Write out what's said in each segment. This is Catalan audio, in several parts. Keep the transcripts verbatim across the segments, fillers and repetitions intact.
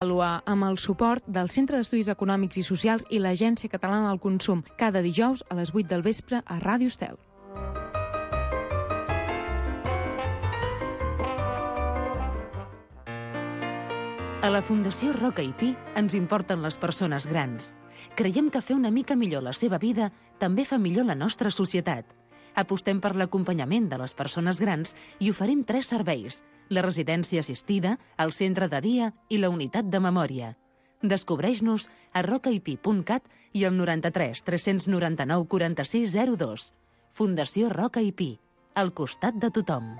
Avaluar amb el suport del Centre d'Estudis Econòmics i Socials i l'Agència Catalana del Consum, cada dijous a les vuit del vespre a Ràdio Estel. A la Fundació Roca i Pi ens importen les persones grans. Creiem que fer una mica millor la seva vida també fa millor la nostra societat. Apostem per l'acompanyament de les persones grans i oferim tres serveis: la residència assistida, el centre de dia i la unitat de memòria. Descobreix-nos a rocaipi punt cat i al noranta-tres tres noranta-nou quaranta-sis zero dos. Fundació Roca i Pi, al costat de tothom.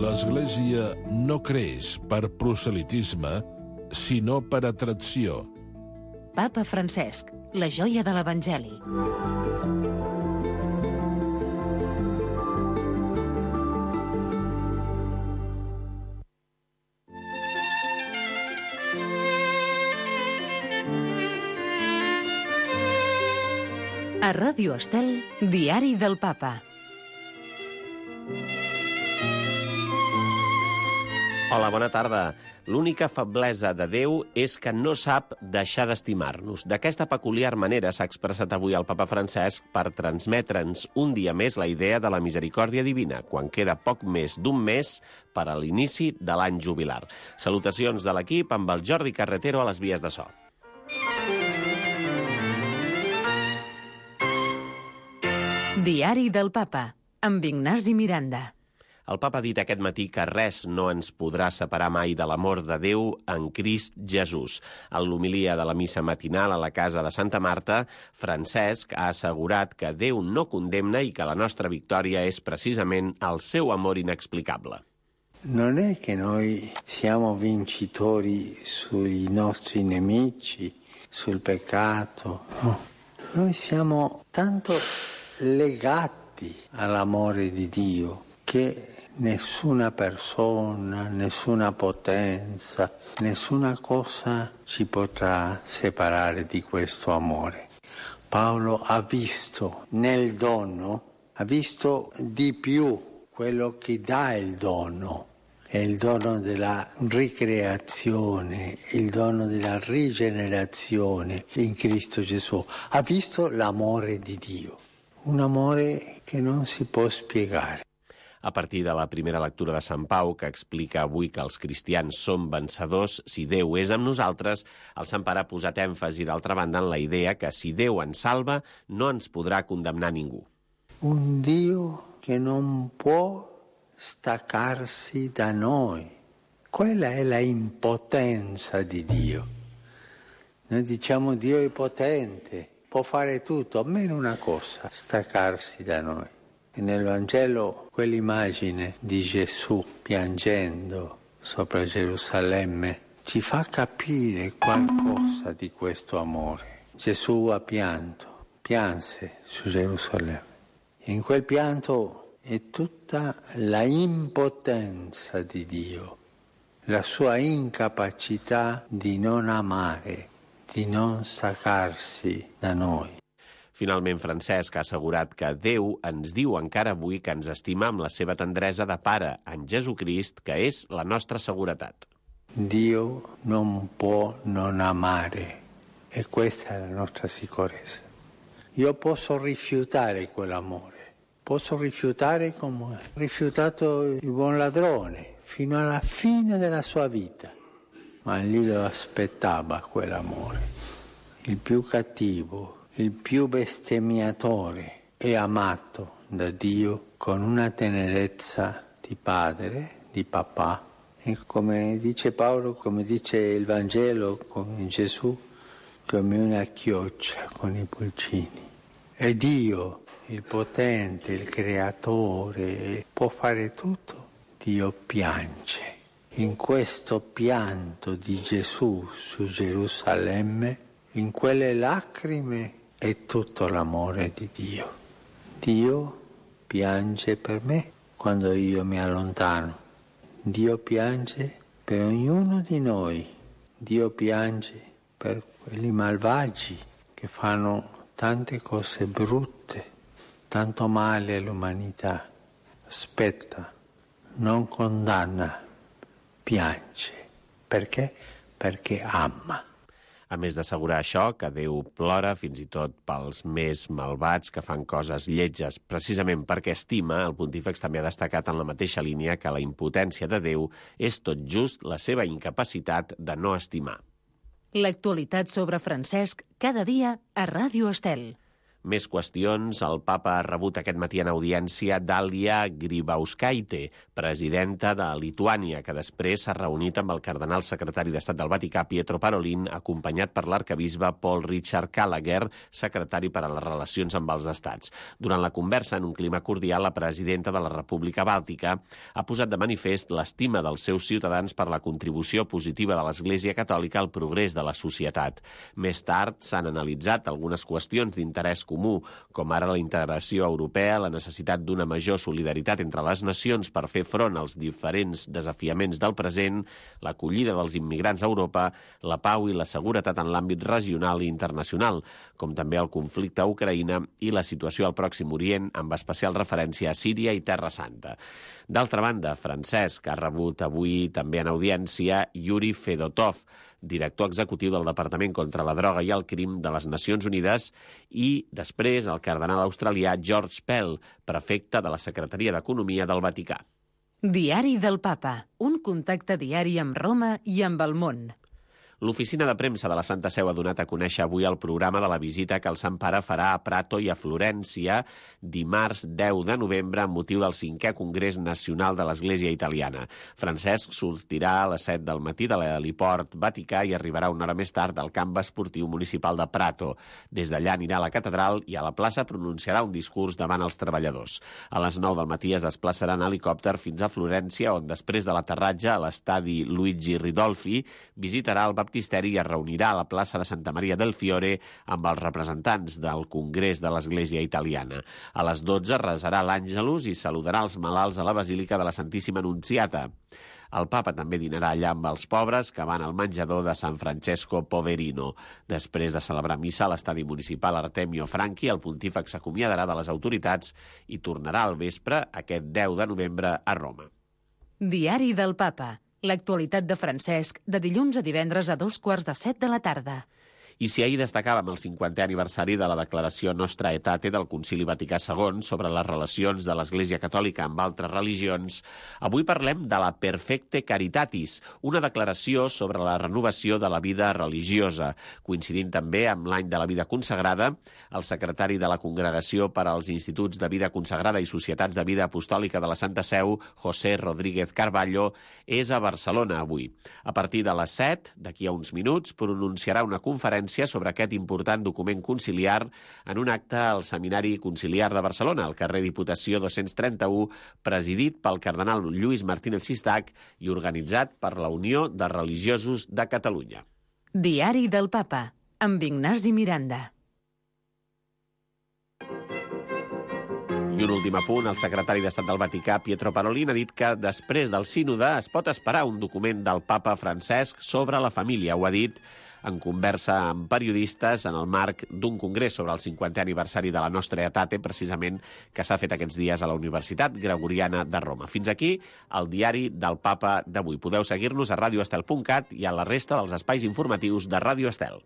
L'Església no creix per proselitisme, sinó per atracció. Papa Francesc, la joia de l'Evangeli. A Ràdio Estel, Diari del Papa. Hola, bona tarda. L'única feblesa de Déu és que no sap deixar d'estimar-nos. D'aquesta peculiar manera s'ha expressat avui el papa Francesc per transmetre'ns un dia més la idea de la misericòrdia divina, quan queda poc més d'un mes per a l'inici de l'any jubilar. Salutacions de l'equip amb el Jordi Carretero a les vies de so. Diari del Papa, amb Ignasi Miranda. El papa ha dit aquest matí que res no ens podrà separar mai de l'amor de Déu en Crist Jesús. En l'homilia de la missa matinal a la casa de Santa Marta, Francesc ha assegurat que Déu no condemna i que la nostra victòria és precisament el seu amor inexplicable. Non è che noi siamo vincitori sui nostri nemici, sul peccato, no. Noi siamo tanto legati all'amore di Dio che nessuna persona, nessuna potenza, nessuna cosa ci potrà separare di questo amore. Paolo ha visto nel dono, ha visto di più quello che dà il dono, è il dono della ricreazione, il dono della rigenerazione in Cristo Gesù. Ha visto l'amore di Dio, un amore che non si può spiegare. A partir de la primera lectura de Sant Pau, que explica avui que els cristians som vencedors si Déu és amb nosaltres, el Sant Pare ha posat èmfasi, d'altra banda, en la idea que si Déu ens salva, no ens podrà condemnar ningú. Un Dio che non può staccarsi da noi. Quella è la impotenza di Dio. Noi diciamo Dio è potente, può fare tutto, almeno una cosa, staccarsi da noi. E nel Vangelo quell'immagine di Gesù piangendo sopra Gerusalemme ci fa capire qualcosa di questo amore. Gesù ha pianto, pianse su Gerusalemme. E in quel pianto è tutta la impotenza di Dio, la sua incapacità di non amare, di non staccarsi da noi. Finalment, Francesc ha assegurat que Déu ens diu encara avui que ens estima amb la seva tendresa de pare en Jesucrist, que és la nostra seguretat. Dio non può non amare, e questa è la nostra sicurezza. Io posso rifiutare quell'amore, posso rifiutare come ha rifiutato il buon ladrone fino alla fine della sua vita, ma lì lo aspettava quell'amore. Il più cattivo, il più bestemmiatore è amato da Dio con una tenerezza di padre, di papà. E come dice Paolo, come dice il Vangelo, come Gesù, come una chioccia con i pulcini. E Dio, il potente, il creatore, può fare tutto. Dio piange. In questo pianto di Gesù su Gerusalemme, in quelle lacrime, è tutto l'amore di Dio. Dio piange per me quando io mi allontano. Dio piange per ognuno di noi. Dio piange per quelli malvagi che fanno tante cose brutte. tanto male all'umanità. Aspetta, non condanna, piange. Perché? Perché ama. A més d'assegurar això, que Déu plora fins i tot pels més malvats que fan coses lletges, precisament perquè estima, el pontífex també ha destacat en la mateixa línia que la impotència de Déu és tot just la seva incapacitat de no estimar. L'actualitat sobre Francesc cada dia a Ràdio Estel. Més qüestions. El papa ha rebut aquest matí en audiència Dalia Grybauskaitė, presidenta de Lituània, que després s'ha reunit amb el cardenal secretari d'Estat del Vaticà, Pietro Parolin, acompanyat per l'arcabisbe Paul Richard Gallagher, secretari per a les relacions amb els estats. Durant la conversa, en un clima cordial, la presidenta de la República Bàltica ha posat de manifest l'estima dels seus ciutadans per la contribució positiva de l'Església Catòlica al progrés de la societat. Més tard s'han analitzat algunes qüestions d'interès comú, com ara la integració europea, la necessitat d'una major solidaritat entre les nacions per fer front als diferents desafiaments del present, l'acollida dels immigrants a Europa, la pau i la seguretat en l'àmbit regional i internacional, com també el conflicte a Ucraïna i la situació al Pròxim Orient, amb especial referència a Síria i Terra Santa. D'altra banda, Francesc ha rebut avui també en audiència Yuri Fedotov, director executiu del Departament contra la Droga i el Crim de les Nacions Unides, i després el cardenal australià George Pell, prefecte de la Secretaria d'Economia del Vaticà. Diari del Papa, un contacte diari amb Roma i amb el món. L'oficina de premsa de la Santa Seu ha donat a conèixer avui el programa de la visita que el Sant Pare farà a Prato i a Florència dimarts deu de novembre amb motiu del cinquè Congrés Nacional de l'Església Italiana. Francesc sortirà a les set del matí de l'heliport Vaticà i arribarà una hora més tard al camp esportiu municipal de Prato. Des d'allà anirà a la catedral i a la plaça pronunciarà un discurs davant els treballadors. A les nou del matí es desplaçarà en helicòpter fins a Florència, on després de l'aterratge a l'estadi Luigi Ridolfi visitarà el baptisteri i es reunirà a la plaça de Santa Maria del Fiore amb els representants del Congrés de l'Església Italiana. A les dotze resarà l'Àngelus i saludarà els malalts a la Basílica de la Santíssima Anunciata. El papa també dinarà allà amb els pobres que van al menjador de San Francesco Poverino. Després de celebrar missa a l'estadi municipal Artemio Franchi, el pontífex s'acomiadarà de les autoritats i tornarà al vespre aquest deu de novembre a Roma. Diari del Papa. L'actualitat de Francesc, de dilluns a divendres a dos quarts de set de la tarda. I si ahir destacàvem el cinquantè aniversari de la declaració Nostra Aetate del Concili Vaticà segon sobre les relacions de l'Església Catòlica amb altres religions, avui parlem de la Perfecte Caritatis, una declaració sobre la renovació de la vida religiosa. Coincidint també amb l'any de la vida consagrada, el secretari de la Congregació per als Instituts de Vida Consagrada i Societats de Vida Apostòlica de la Santa Seu, José Rodríguez Carballo, és a Barcelona avui. A partir de les set, d'aquí a uns minuts, pronunciarà una conferència sobre aquest important document conciliar en un acte al Seminari Conciliar de Barcelona, al carrer Diputació dos-cents trenta-u, presidit pel cardenal Lluís Martínez Sistac i organitzat per la Unió de Religiosos de Catalunya. Diari del Papa, amb Ignasi Miranda. I un últim apunt, el secretari d'Estat del Vaticà, Pietro Parolin, ha dit que després del sínode es pot esperar un document del papa Francesc sobre la família. Ho ha dit en conversa amb periodistes en el marc d'un congrés sobre el cinquantè aniversari de la Nostra Aetate, precisament, que s'ha fet aquests dies a la Universitat Gregoriana de Roma. Fins aquí el diari del Papa d'avui. Podeu seguir-nos a radioestel punt cat i a la resta dels espais informatius de Ràdio Estel.